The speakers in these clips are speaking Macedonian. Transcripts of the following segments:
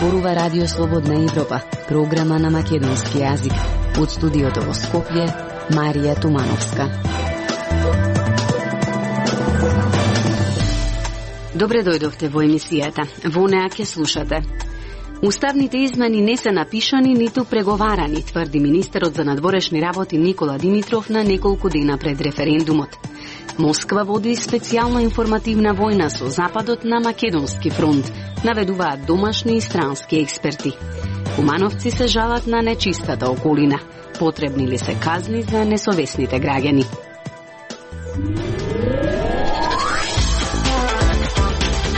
зборува Радио Слободна Европа, програма на македонски јазик. Од студиото во Скопје, Марија Тумановска. Добре дојдовте во емисијата. Во неа ќе слушате. Уставните измени не се напишани ниту преговарани, тврди министерот за надворешни работи Никола Димитров на неколку дена пред референдумот. Москва води специјална информативна војна со Западот на Македонски фронт, наведуваат домашни и странски експерти. Кумановци се жалат на нечистата околина. Потребни ли се казни за несовесните граѓани?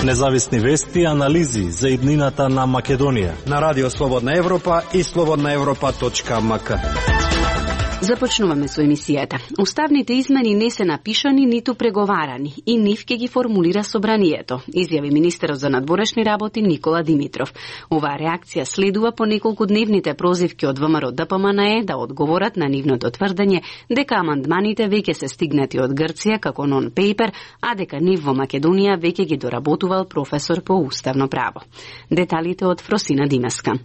Независни вести и анализи за иднината на Македонија на Радио Слободна Европа и slobodnaevropa.mk. Започнуваме со емисијата. Уставните измени не се напишани ниту преговарани и нив ќе ги формулира собранието, изјави министерот за надворешни работи Никола Димитров. Оваа реакција следува по неколку дневните прозивки од ВМРО ДПМНЕ да одговорат на нивното тврдење дека амандманите веќе се стигнати од Грција како нон-пейпер, а дека нив во Македонија веќе ги доработувал професор по уставно право. Деталите од Фросина Димеска.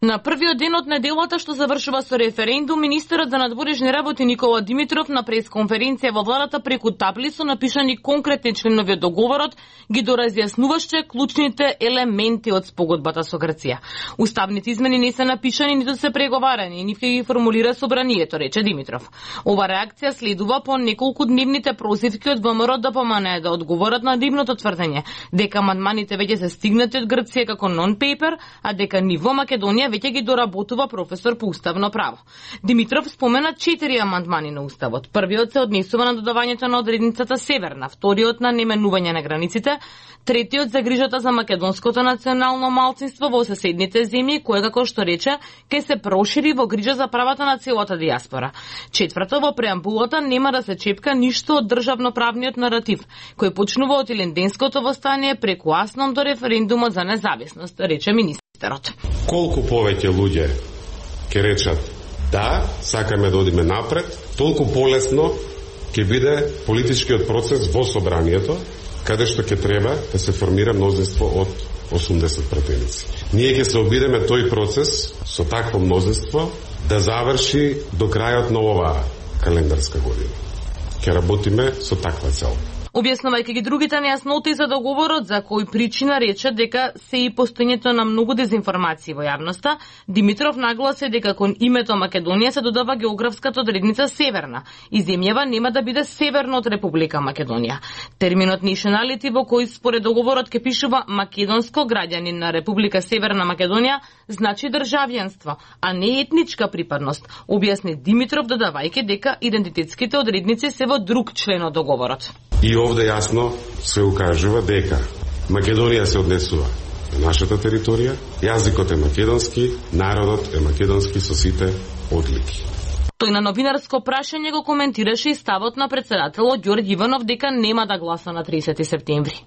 На првиот ден од неделата што завршува со референдум, министерот за надворешни работи Никола Димитров на пресконференција во владата преку табли со напишани конкретни членови од договорот ги доразјаснуваше клучните елементи од спогодбата со Грција. Уставните измени не се напишани ниту се преговарани, нив ќе ги формулира собранието, рече Димитров. Ова реакција следува по неколку дневните прозивки од ВМРО ДПМНЕ да одговорат на нивното тврдење дека амандманите веќе се стигнати од Грција како нон-пейпер, а дека нив во Македонија веќе ги доработува професор по уставно право. Димитров спомена 4 амандмани на уставот. Првиот се однесува на додавањето на одредницата Северна, вториот на наименување на границите, третиот за грижата за македонското национално малцинство во соседните земји, кое како што рече ќе се прошири во грижа за правата на целата дијаспора. Четврто, во преамбулата нема да се чепка ништо од државноправниот наратив, кој почнува од Илинденското востание преку Аснон до референдумот за независност, рече министерот. Колку повеќе луѓе ќе речат да, сакаме да одиме напред, толку полесно ќе биде политичкиот процес во собранието, каде што ќе треба да се формира мнозинство од 80 пратеници. Ние ќе се обидеме тој процес со такво мнозинство да заврши до крајот на оваа календарска година. Ќе работиме со таква цел. Објаснувајќи ги другите нејасноти за договорот, за кој причина рече дека се и постоењето на многу дезинформации во јавноста, Димитров нагласи дека кон името Македонија се додава географската одредница Северна и земјава нема да биде северно од Република Македонија. Терминот nationality, во кој според договорот ќе пишува македонско граѓанин на Република Северна Македонија, значи државјанство, а не етничка припадност, објасни Димитров додавајќи дека идентитетските одредници се во друг член од договорот. И овде јасно се укажува дека Македонија се однесува на нашата територија, јазикот е македонски, народот е македонски со сите одлики. Тој на новинарско прашање го коментираше и ставот на председателот Ѓорѓе Иванов дека нема да гласа на 30 септември.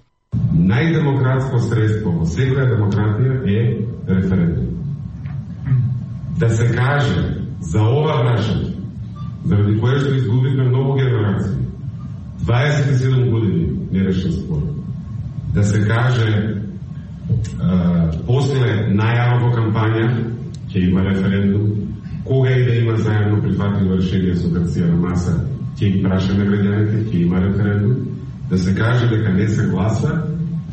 Најдемократско средство во секоја демократија е референдум. Да се каже за ова прашање, заради кое што изгубивме многу генерации, 27 години нерешен спор. Да се каже после најава во кампања ќе има референдум, кога и да има заедно прифатливо решение со Грција на маса, ќе ги прашаме граѓаните, ќе има референдум. Да се каже дека не се гласа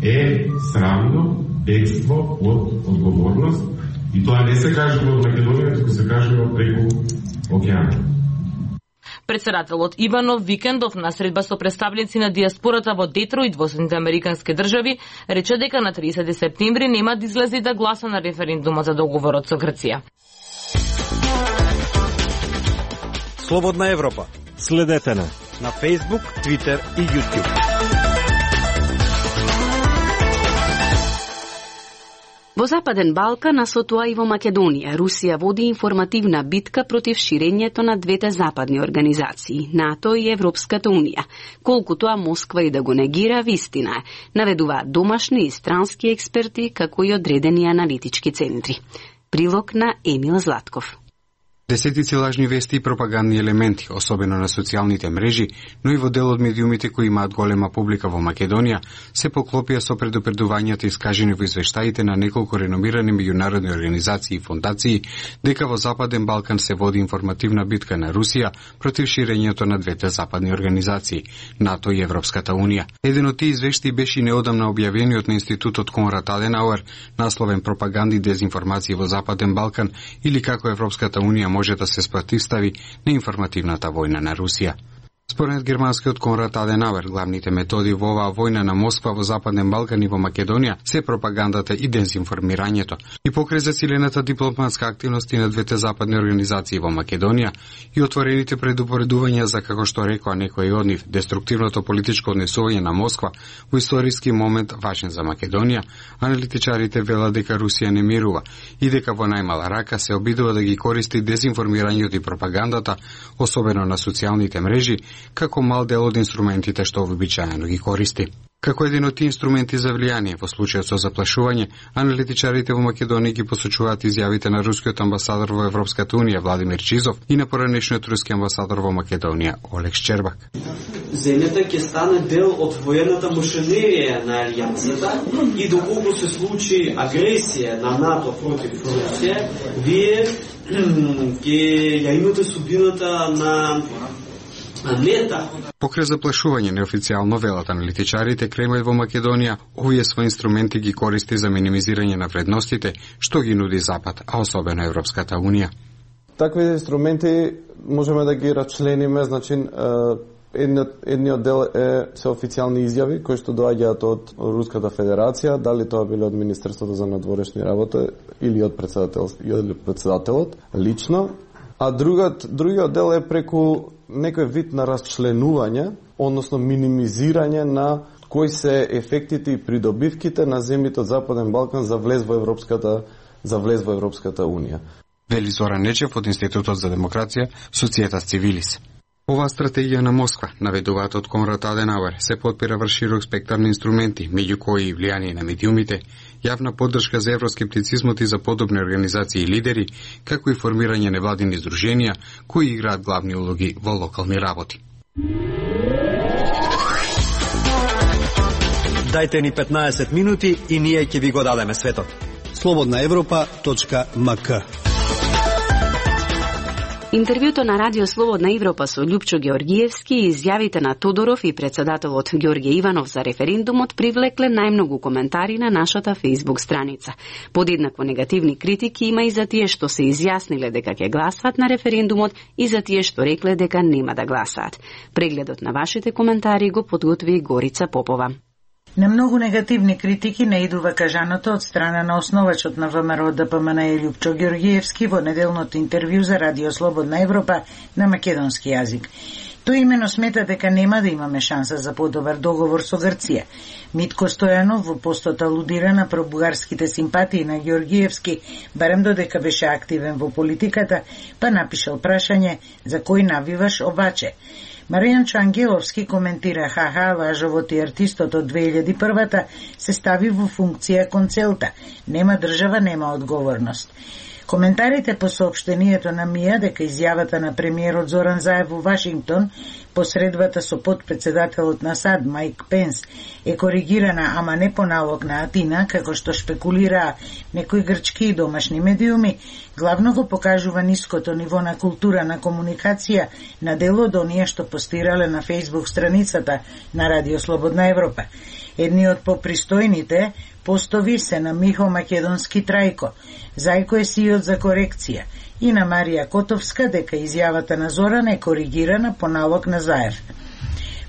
е срамно бегство од одговорност и тоа не се кажува од Македонија, туку се кажува преку океанот. Председателот Иванов викендов на средба со представници на дијаспората во Детројт во Соединетите Американски држави рече дека на 30 септември нема да излезе да гласа на референдумот за договорот со Грција. Слободна Европа. Следете на Facebook, Twitter и YouTube. Во Западен Балкан, а со тоа и во Македонија, Русија води информативна битка против ширењето на двете западни организации, НАТО и Европската Унија. Колку тоа Москва и да го негира, вистина е, наведуваат домашни и странски експерти, како и одредени аналитички центри. Прилог на Емил Златков. Десетици лажни вести и пропагандни елементи, особено на социјалните мрежи, но и во дел од медиумите кои имаат голема публика во Македонија, се поклопија со предупредувањата искажени во извештаите на неколку реномирани меѓународни организации и фондации дека во Западен Балкан се води информативна битка на Русија против ширењето на двете западни организации, НАТО и Европската Унија. Еден од тие извештаи беше неодамна објавениот на Институтот Конрад Аденауер, насловен Пропаганди и дезинформации во Западен Балкан или како Европската Унија може да се спротивстави на информативната војна на Русија. Според германскиот Конрад Аденауер, главните методи во оваа војна на Москва во Западен Балкан и во Македонија се пропагандата и дезинформирањето. И покрај засилената дипломатска активност на двете западни организации во Македонија и отворените предупредувања за, како што рекоа некои од нив, деструктивното политичко однесување на Москва во историски момент важен за Македонија, аналитичарите велат дека Русија не мирува и дека во најмала рака се обидува да ги користи дезинформирањето и пропагандата, особено на социјалните мрежи, како мал дел од инструментите што вообичаено ги користи. Како еден од тие инструменти за влијание во случајот со заплашување, аналитичарите во Македонија ги посочуваат изјавите на рускиот амбасадор во Европската Унија Владимир Чизов и на поранешниот руски амбасадор во Македонија Олег Шчербак. Земјата ќе стане дел од воената машинерија на алијансата и доколку се случи агресија на НАТО против Русија, вие ќе ја имате судбината на Покрај заплашување неофицијално велат аналитичарите, Кремљ во Македонија овие своји инструменти ги користи за минимизирање на вредностите што ги нуди Запад, а особено Европската Унија. Такви инструменти можеме да ги рачлениме, значи едниот дел се официјални изјави кои што доаѓаат од Руската Федерација, дали тоа биле од Министерството за надворешни работи или од председателот лично, а другиот дел е преку некој вид на расчленување, односно минимизирање на кои се ефектите и придобивките на земјите од Западен Балкан за влез во Европската Унија. Вели Зоран Нечев од Институтот за демокрација, Societas Civilis. Оваа стратегија на Москва, наведуваат од Конрад Аденауер, се подпира врз широк спектар на инструменти, меѓу кои и влијание на медиумите, јавна поддршка за евроскептицизмот и за подобни организации и лидери, како и формирање невладини здруженија кои играат главни улоги во локални работи. Дајте ни 15 минути и ние ќе ви го дадеме светот. slobodnaevropa.mk. Интервјуто на Радио Слободна Европа со Љупчо Георгиевски и изјавите на Тодоров и председателот Ѓорѓе Иванов за референдумот привлекле најмногу коментари на нашата Facebook страница. Подеднакво негативни критики има и за тие што се изјасниле дека ќе гласаат на референдумот и за тие што рекле дека нема да гласаат. Прегледот на вашите коментари го подготви Горица Попова. На многу негативни критики наидува кажаното од страна на основачот на ВМРО ДПМН Љупчо Георгиевски во неделното интервју за Радио Слободна Европа на македонски јазик. Тој имено смета дека нема да имаме шанса за подобар договор со Грција. Митко Стојанов во постот алудира на пробугарските симпатии на Георгиевски, барем додека беше активен во политиката, па напишал прашање за кој навиваш обаче. Маријанчо Ангеловски коментира лажовот и артистот од 2001-та се стави во функција кон целта. Нема држава, нема одговорност. Коментарите по соопштението на МИА дека изјавата на премиерот Зоран Заев во Вашингтон посредбата со подпредседателот на САД Майк Пенс е коригирана, ама не по налог на Атина, како што шпекулираа некои грчки и домашни медиуми, главно го покажува ниското ниво на култура на комуникација на дел од оние што постирале на Facebook страницата на Радио Слободна Европа. Едни од попристојните постови се на Михо Македонски Трајко, Зајко е сиот за корекција, и на Марија Котовска дека изјавата на Зоран е коригирана по налог на Заев.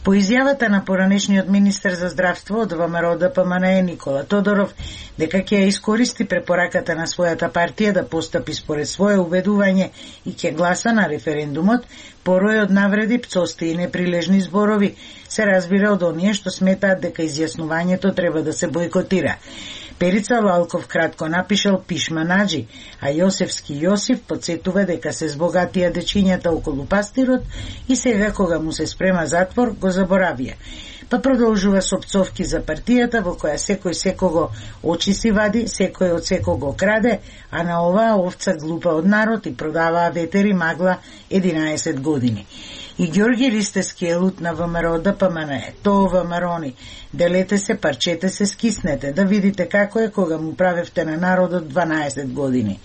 По изјавата на поранешниот министер за здравство од ВМРО ДПМН Никола Тодоров дека ќе ја искористи препораката на својата партија да постапи според свое убедување и ќе гласа на референдумот, порој од навреди, пцости и неприлежни зборови се разбира од оние што сметаат дека изјаснувањето треба да се бойкотира. Перица Лалков кратко напишал пишма Наджи, а Јосевски Јосиф подсетува дека се збогатија дечињата околу пастирот и сега кога му се спрема затвор го заборавија. па продолжува со пцовки за партијата во која секој секого очи си вади, секој од секого краде, а на оваа овца глупа од народ и продаваа ветер и магла 11 години. И Ѓорги Ристевски е лут на ВМРО ДПМН. Тоа ВМРО-ни. Делете се, парчете се, скиснете, да видите како е кога му правевте на народот 12 години.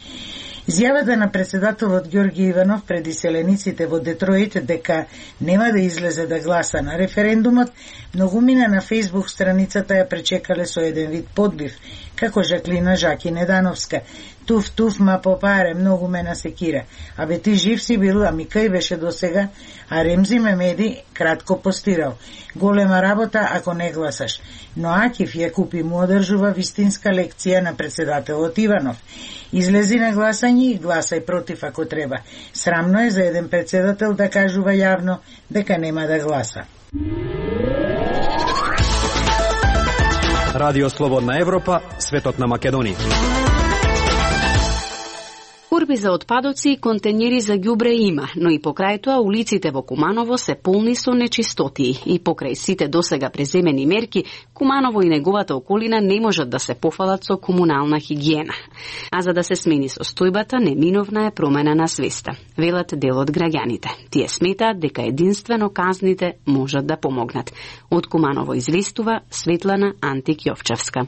Изјавата на председателот Ѓорги Иванов пред иселениците во Детройт дека нема да излезе да гласа на референдумот, многумина на Facebook страницата ја пречекале со еден вид подбив, како Жаклина Жаки Недановска. Туф, ма попаре, многу ме насекира. Абе ти жив си бил, ами кај беше досега, а Ремзи Мемеди кратко постирал. Голема работа ако не гласаш. Но Акиф ја купи му одржува вистинска лекција на председателот Иванов. Излези на гласање и гласај против ако треба. Срамно е за еден председател да кажува јавно дека нема да гласа. Радио Слободна Европа, светот на Македонија. Курби за отпадоци и контењери за ѓубре има, но и покрај тоа улиците во Куманово се полни со нечистотии и покрај сите досега преземени мерки, Куманово и неговата околина не можат да се пофалат со комунална хигиена. А за да се смени состојбата, неминовна е промена на свеста, велат дел од граѓаните. Тие сметаат дека единствено казните можат да помогнат. Од Куманово известува Светлана Антик Јовчевска.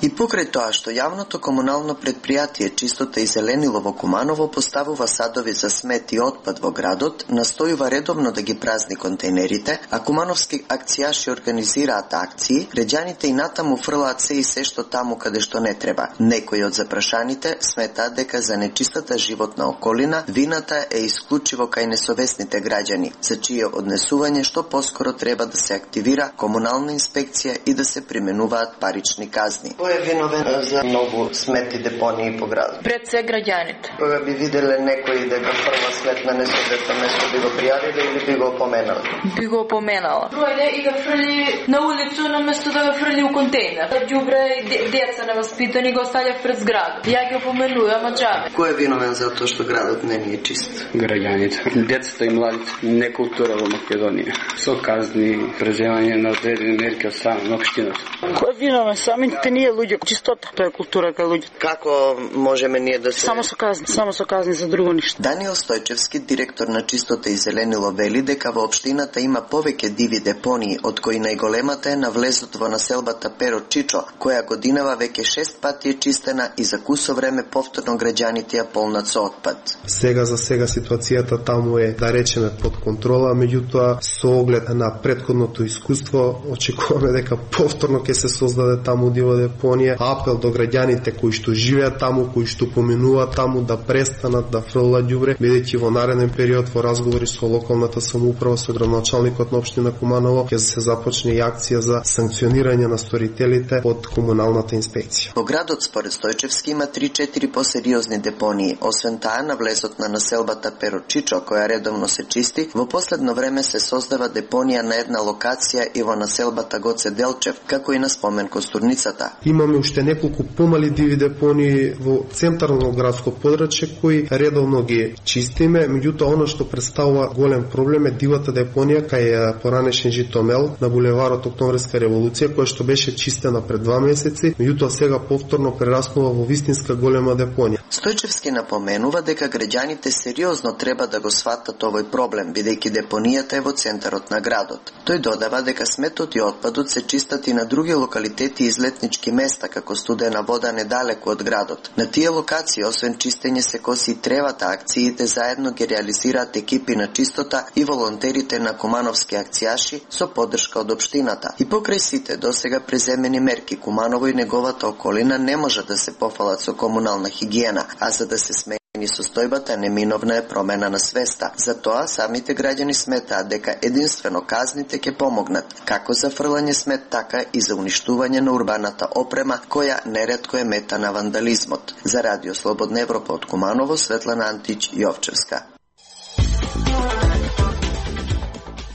И покрај тоа што јавното комунално предпријатие Чистота и зеленило во Куманово поставува садови за смет и отпад во градот, настојува редовно да ги празни контейнерите, а кумановски акцијаши организираат акции, граѓаните и натаму фрлаат се и се што таму каде што не треба. Некои од запрашаните сметаат дека за нечистата животна околина вината е исклучиво кај несовесните граѓани, за чие однесување што поскоро треба да се активира комунална инспекција и да се применуваат парични казни. Кој е виновен за многу смети депонии по градот? Пред се граѓаните. Кога би виделе некој дека фрла смет на несовесно место, би го пријавиле или би го опоменале? Би го опоменала. Дојде и го фрли на улицу на место да го фрли у контейнер. Ѓубре и деца неваспитани го оставја пред зградот. Ја ги опоменувам, ама џабе. Кој е виновен за тоа што градот не ни е чист? Граѓаните, децата и младите, некултура во Македонија. Со казни, преземање на одредени мерки од страна на општината. Кој е виновен? Самите ние луѓе, чистота, тоа е култура кај луѓето. Како можеме ние да се само со казни за друго ништо. Даниел Стојчевски, директор на Чистота и зеленило, вели дека во општината има повеќе диви депонии, од кои најголемата е на влезот во населбата Перо Чичо, која годинава веќе 6 пати е чистена и за кусо време повторно граѓаните ја полнат со отпад. Сега за сега ситуацијата таму е, да речеме, под контрола, меѓутоа со оглед на претходното искуство очекуваме дека повторно ќе се создаде таму дива депонија. Апел до граѓаните кои што живеат таму, кои што поминуваат таму, да престанат да фрлаат ѓубре, бидејќи во нареден период во разговори со локалната самоуправа, со градоначалникот на општина Куманово ќе се започне и акција за санкционирање на сторителите од комуналната инспекција. Во градот според Стојчевски има 3-4 посериозни депонии. Освен таа, на влезот на населбата Перо Чичо, која редовно се чисти, во последно време се создава депонија на една локација и во населбата Гоце Делчев, како и на спомен Костурницата. Имаме уште неколку помали диви депонии во центарно градско подрачје кои редовно ги чистиме, меѓутоа она што представува голем проблем е дивата депонија кај поранешен Житомел на булеварот Октомврска револуција, која што беше чистена пред 2 месеци, меѓутоа сега повторно прераснува во вистинска голема депонија. Стојчевски напоменува дека граѓаните сериозно треба да го сватат овој проблем, бидејќи депонијата е во центарот на градот. Тој додава дека сметот и отпадот се чистат и на други локалитети и излетнички места, како Студена вода недалеку од градот. На тие локации, освен чистење, се коси и тревата. Акциите заедно ги реализираат екипи на Чистота и волонтерите на кумановски акцијаши со поддршка од општината. И покрај сите досега преземени мерки, Куманово и неговата околина не може да се пофалат со комунална хигиена, а за да се смени состојбата, неминовна е промена на свеста. Затоа самите граѓани сметаат дека единствено казните ќе помогнат, како за фрлање смет, така и за уништување на урбаната опрема, која неретко е мета на вандализмот. За Радио Слободна Европа од Куманово, Светлана Антич Јовчевска.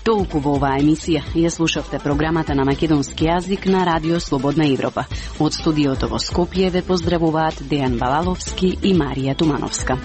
Толку во оваа емисија. Ја слушавте програмата на македонски јазик на Радио Слободна Европа. Од студиото во Скопје ве поздравуваат Дејан Балаловски и Марија Тумановска.